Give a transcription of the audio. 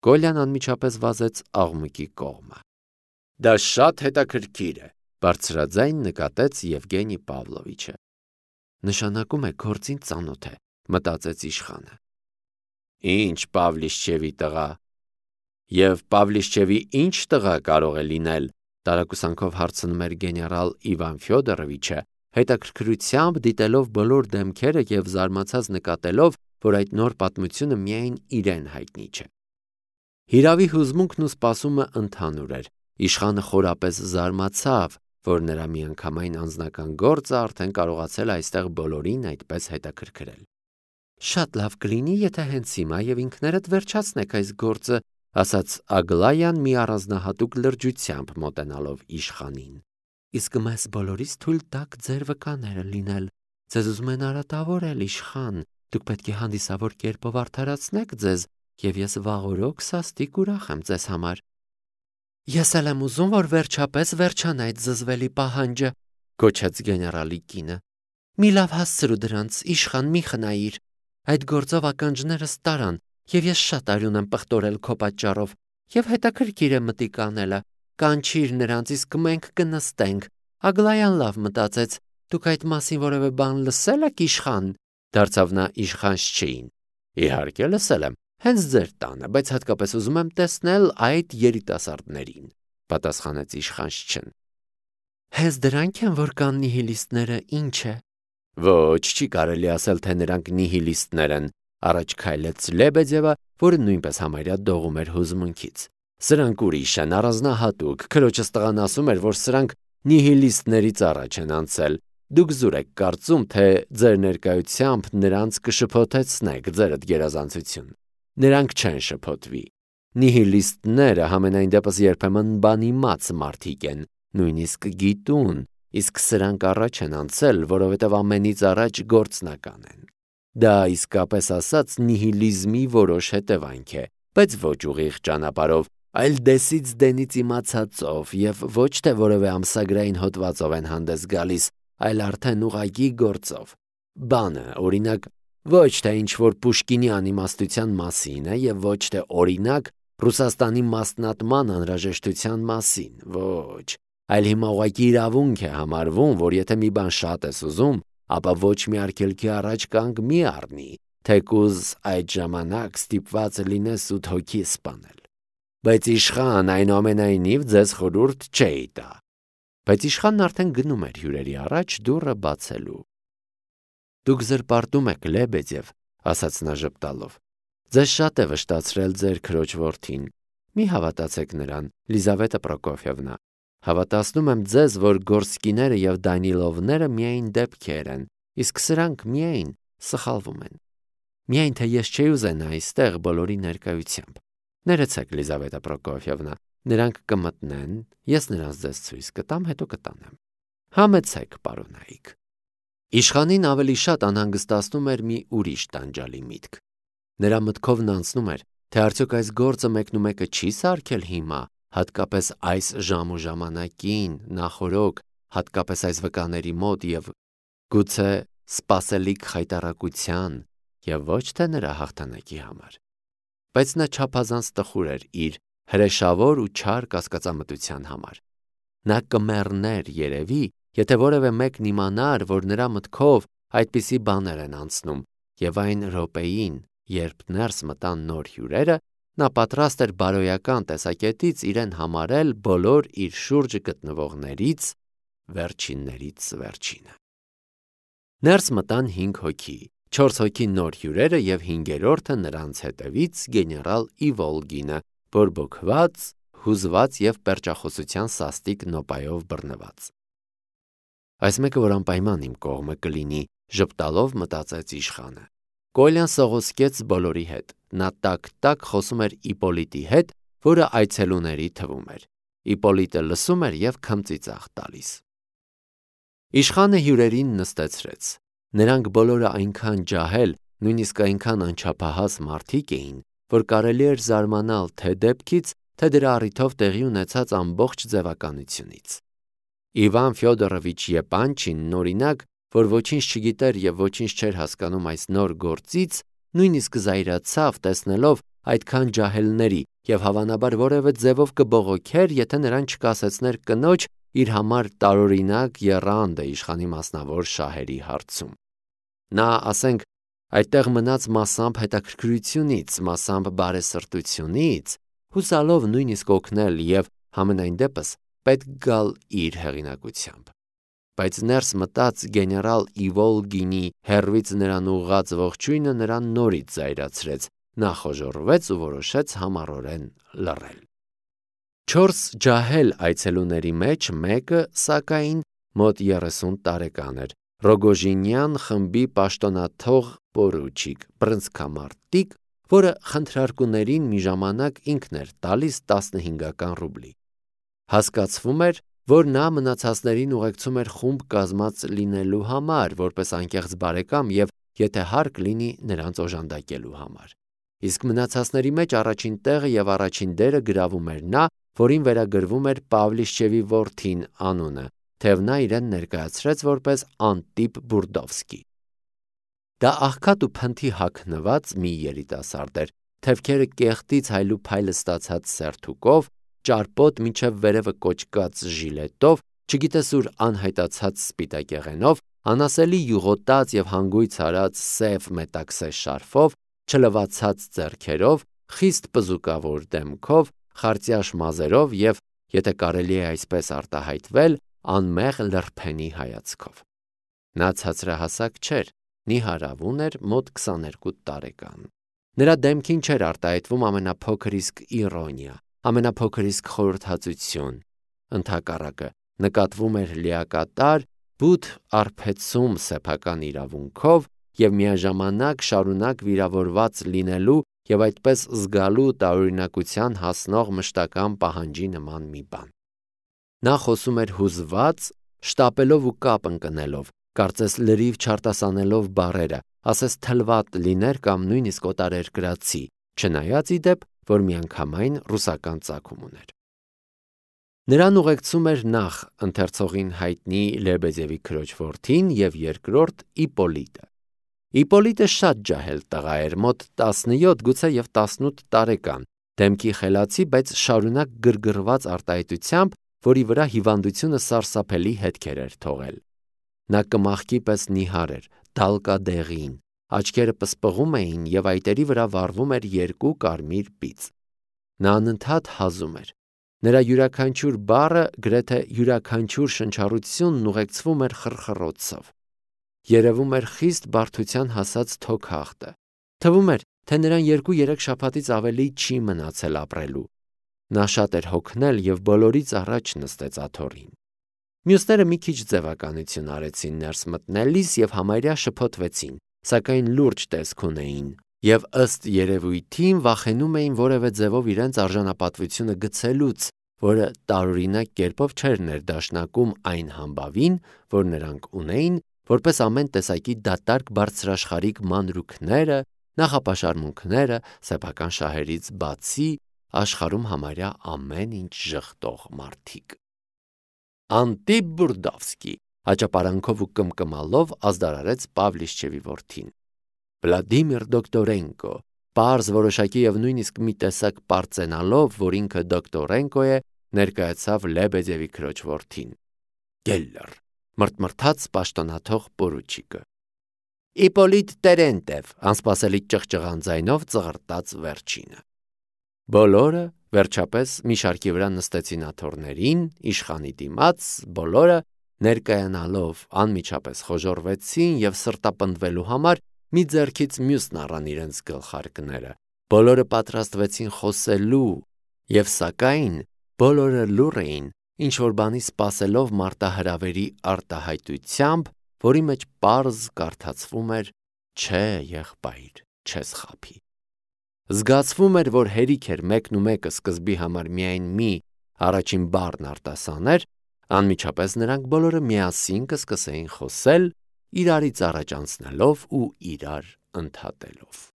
Կոլյան անմիջապես վազեց աղմուկի կողմը։ Դա շատ հետաքրքիր է, բարձրաձայն նկատեց Եվգենի Պավլովիչը։ Նշանակում է գործին ծանոթ է, մտածեց իշխանը։ Ինչ Պավլիշչևի տղա։ Եվ Պավլիշչևի ինչ տղա կարող է լինել, տարակուսանքով հարցնում էր գեներալ Իվան Ֆյոդորովիչը, հետաքրքրությամբ դիտելով բոլոր դեմքերը և զարմացած նկատելով, որ այդ նոր պատմությունը միայն իրեն հայտնի չէ։ Հիրավի հուզմունքն ու սպասումը ընդհանուր էր։ Իշխանը խորապես զարմացավ, որ նրա միանգամայն անձնական գործը արդեն կարողացել այստեղ բոլորին այդպես հետաքրքրել։ Շատ լավ կլինի, եթե հենց հիմա և ինքներդ վերջացնեք այս գործը, ասաց Ագլայան մի առանձնահատուկ լրջությամբ մոտենալով իշխանին։ Իսկ մեզ բոլորիս թույլ տաք ձեր վկաները լինել։ Ձեզ ուզում են արատավորել, իշխան, դուք պետք է հանդիսավոր կերպով արդարացնեք ձեզ, և ես վաղօրոք սաստիկ ուրախ եմ ձեզ համար։ Ես էլ եմ ուզում, որ վերջապես վերջանա այդ զզվելի պահանջը, գոչեց գեներալի կինը։ Մի լավ հասցրու դրանց, իշխան, մի խնայիր։ Այդ գործով ականջներս տարան, և ես շատ արյուն եմ պղտորել քո պատճառով, և հետաքրքիր է մտիկ անելը։ Կանչիր նրանց, իսկ մենք կնստենք։ Ագլայան լավ մտածեց, դուք այդ մասին որևէ բան լսել եք, իշխան, դարձավ նա իշխանշչեին։ Իհարկե լսել եմ, հենց ձեր տանը, բայց հատկապես ուզում եմ տեսնել այդ երիտասարդներին, պատասխանեց իշխանշչեն։ Հենց դրանք են, որ կան նիհիլիստները, ինչ է։ Ոչ, չի կարելի ասել, թե նրանք նիհիլիստներ են, առաջ քայլեց Լեբեդևը, որը նույնպես համարյա դողում էր հուզմունքից։ Սրանք ուրիշ են, առանձնահատուկ, քրոջս տղան ասում էր, որ սրանք նիհիլիստներից առաջ են անցել։ Դուք զուր եք կարծում, թե ձեր ներկայությամբ նրանց կշփոթեցնեք ձերդ գերազանցություն։ Նրանք չեն շփոթվի։ Նիհիլիստները համենայն դեպս երբեմն բանիմաց մարդիկ են, նույնիսկ գիտուն, իսկ սրանք առաջ են անցել, որովհետև ամենից առաջ գործնական են։ Դա իսկապես ասած նիհիլիզմի որոշ հետևանք է, բայց ոչ ուղիղ ճանապարհով, այլ դեսից դենից իմացածով և ոչ թե որևէ ամսագրային հոդվածով են հանդես գալիս, այլ արդեն ուղղակի գործով։ Բանը, օրինակ, ոչ թե ինչ-որ Պուշկինի անիմաստության մասին է և ոչ թե օրինակ Ռուսաստանի մասնատման անհրաժեշտության մասին, ոչ, այլ հիմա ուղղակի իրավունք է համարվում, որ եթե մի բան շատ ես ուզում, ապա ոչ մի արգելքի առաջ կանգ մի առնի, թեկուզ այդ ժամանակ ստիպված լինես 8 հոգի սպանել։ Բայց իշխան, այնուամենայնիվ ձեզ խորհուրդ չէի տա։ Բայց իշխանն արդեն գնում էր հյուրերի առաջ դուռը բացելու։ Դուք զրպարտում եք, Լեբեդև, ասաց նա ժպտալով։ Ձեզ շատ է վշտացրել ձեր քրոջ որդին։ Մի հավատացեք նրան, Լիզավետա Պրոկոֆյևնա։ Հավատացնում եմ ձեզ, որ Գորսկիները և Դանիլովները միայն դեպքեր են, իսկ սրանք միայն սխալվում են։ Միայն թե ես չէի ուզենա այստեղ բոլորի ներկայությամբ։ Ներեցեք, Լիզավետա Պրոկոֆյևնա, նրանք կմտնեն, ես նրանց ձեզ ցույց կտամ, հետո կտանեմ։ Համեցեք, պարոնայք։ Իշխանին ավելի շատ անհանգստացնում էր մի ուրիշ տանջալի միտք։ Նրա մտքովն անցնում էր, թե արդյոք այս գործը մեկնումեկը չի սարքել հիմա, հատկապես այս ժամ ու ժամանակին, նախօրոք, հատկապես այս վկաների մոտ և գուցե սպասելիք խայտառակության և ոչ թե նրա հաղթանակի համար։ Բայց նա չափազանց տխուր էր իր հրեշավոր ու չար կասկածամտության համար։ Նա կմեռներ երևի, եթե որևէ մեկն իմանար, որ նրա մտքով այդպիսի բաներ են անցնում, և այն րոպեին, երբ ներս մտան նոր հյուրերը, նա պատրաստ էր բարոյական տեսակետից իրեն համարել բոլոր իր շուրջը գտնվողներից վերջիններից վերջինը։ Ներս մտան 5 հոգի, 4 հոգի նոր հյուրերը և 5-րդը նրանց հետևից գեներալ Իվոլգինը, բորբոքված, հուզված և պերճախոսության սաստիկ նոպայով բռնված։ Այս մեկը, որ անպայման իմ կողմը կլինի, ժպտալով մտածեց իշխանը։ Կոլյան սողոսկեց բոլորի հետ։ Նա տակ-տակ խոսում էր Իպոլիտի հետ, որը այցելուների թվում էր։ Իպոլիտը լսում էր և քմծիծաղ տալիս։ Իշխանը հյուրերին նստեցրեց։ Նրանք բոլորը այնքան ջահել, նույնիսկ այնքան անչափահաս մարդիկ էին, որ կարելի էր զարմանալ թե դեպքից, թե դրա առիթով տեղի ունեցած ամբողջ ձևականությունից։ Իվան Ֆյոդորովիչ Եպանչինն, օրինակ, որ ոչինչ չգիտեր և ոչինչ չէր հասկանում այս նոր գործից, նույնիսկ զայրացավ տեսնելով, այդքան ջահելների եւ հավանաբար որևէ ձևով կբողոքեր, եթե նրան չկասեցներ կնոջ իր համար տարօրինակ եռանդը իշխանի մասնավոր շահերի հարցում։ Նա, ասենք, այդտեղ մնաց մասամբ հետաքրքրությունից, մասամբ բարեսրտությունից, հուսալով նույնիսկ օգնել եւ համենայն դեպս պետք գալ իր հեղինակությամբ։ Բայց ներս մտած գեներալ Իվոլգինի հեռվից նրան ուղղած ողջույնը նրան նորից զայրացրեց, նա խոժոռվեց ու որոշեց համառորեն լռել։ 4 ջահել այցելուների մեջ մեկը, սակայն, մոտ 30 տարեկան էր, Ռոգոժինյան խմբի պաշտոնաթող պորուչիկ, բռնցքամարտիկ, որը խնդրարկուներին մի ժամանակ ինքն էր տալիս 15 ռուբլի։ Հասկացվում էր, որ նա մնացածներին ուղեկցում էր խումբ կազմած լինելու համար, որպես անկեղծ բարեկամ եւ եթե հարկ լինի նրանց օժանդակելու համար։ Իսկ մնացածների մեջ առաջին տեղը եւ առաջին դերը գրավում էր նա, որին վերագրվում էր Պավլիշչևի որդին անունը, թեև նա իրեն ներկայացրեց որպես Անտիպ Բուրդովսկի։ Դա աղքատ ու փնթի հագնված մի երիտասարդ էր, թևքերը կեղտից հայլուփայլը ստացած սերթուկով, ճարպոտ մինչև վերևը կոճկած ժիլետով, չգիտես ուր անհայտացած սպիտակեղենով, անասելի յուղոտած եւ հանգույց արած սև մետաքսե շարֆով, չլվացած ձեռքերով, խիստ պզուկավոր դեմքով, խարծյաշ մազերով եւ, եթե կարելի է այսպես արտահայտվել, անմեղ լրփենի հայացքով։ Նա ցածրահասակ չէր, նիհարավուն էր, մոտ 22 տարեկան։ Նրա դեմքին չէր արտահայտվում ամենափոքր իսկ իրոնիա, ամենափոքր իսկ խորհրդածություն։ Ընդհակառակը, նկատվում էր լիակատար, բութ արբեցում սեփական իրավունքով եւ միաժամանակ շարունակ վիրավորված լինելու եւ այդպես զգալու տարօրինակության հասնող մշտական պահանջի նման մի բան։ Նա խոսում էր հուզված, շտապելով ու կապ ընկնելով, կարծես լրիվ չարտասանելով բառերը, ասես թլվատ լիներ կամ նույնիսկ օտարերկրացի, չնայած ի դեպ, որ միանգամայն ռուսական ծագում ուներ։ Նրան ուղեկցում էր նախ ընթերցողին հայտնի Լեբեդևի քրոջ որդին եւ երկրորդ Իպոլիտը։ Իպոլիտը շատ ջահել տղա էր, մոտ 17, գուցե եւ 18 տարեկան, դեմքի խելացի, բայց շարունակ գրգռված արտահայտությամբ, որի վրա հիվանդությունը սարսափելի հետքեր էր թողել։ Նա կմախքի պես նիհար էր, դալկադեղին, աչքերը պսպղում էին եւ այտերի վրա վառվում էր 2 կարմիր բիծ։ Նա անընդհատ հազում էր։ Նրա յուրաքանչյուր բառը, գրեթե յուրաքանչյուր շնչառությունն ուղեկցվում էր խռխռոցով։ Երևում էր խիստ բարդության հասած թոքախտը։ Թվում էր, թե նրան 2-3 շաբաթից ավելի չի մնացել ապրելու։ Նա շատ էր հոգնել եւ բոլորից առաջ նստեց աթոռին։ Մյուսները մի քիչ ձևականություն արեցին ներս մտնելիս եւ համարյա շփոթվեցին, սակայն լուրջ տեսք ունեին եւ ըստ երևույթին վախենում էին որևէ ձևով իրենց արժանապատվությունը գցելուց, որը տարօրինակ կերպով չէր ներդաշնակում այն համբավին, որ նրանք ունեին, որպես ամեն տեսակի դատարկ բարձրաշխարհիկ մանրուքները, նախապաշարմունքները, սեփական շահերից բացի աշխարհում համարյա ամեն ինչ ժխտող մարդիկ։ Անտիպ Բուրդովսկի աճապարանքով ու կմկմալով ազդարարեց Պավլիշչևի որդին։ Վլադիմիր Դոկտորենկո, պարզ որոշակի եւ նույնիսկ մի տեսակ պարծենալով, որ ինքը Դոկտորենկո է, ներկայացավ Լեբեդևի քրոջ որդին։ Գելլեր, մրթմրթաց պաշտոնաթող պորուչիկը։ Իպոլիտ Տերենտև, անսպասելի ճղճղան ձայնով ծղրտաց վերջինը։ Բոլորը վերջապես մի շարքի վրա նստեցին աթոռներին, իշխանի դիմաց, բոլորը ներկայանալով անմիջապես խոժոռվեցին եւ սրտապնդվելու համար մի ձեռքից մյուսն առան իրենց գլխարկները։ Բոլորը պատրաստվեցին խոսելու եւ սակայն բոլորը լուռ էին, ինչ որ բանի սպասելով մարտահրավերի արտահայտությամբ, որի մեջ պարզ կարդացվում էր. «Չէ, եղբայր, չես խաբի»։ Զգացվում էր, որ հերիք էր մեկն ու մեկը սկզբի համար միայն մի առաջին բառն արտասաներ, անմիջապես նրանք բոլորը միասին կսկսեին խոսել, իրարից առաջ անցնելով ու իրար ընդհատելով։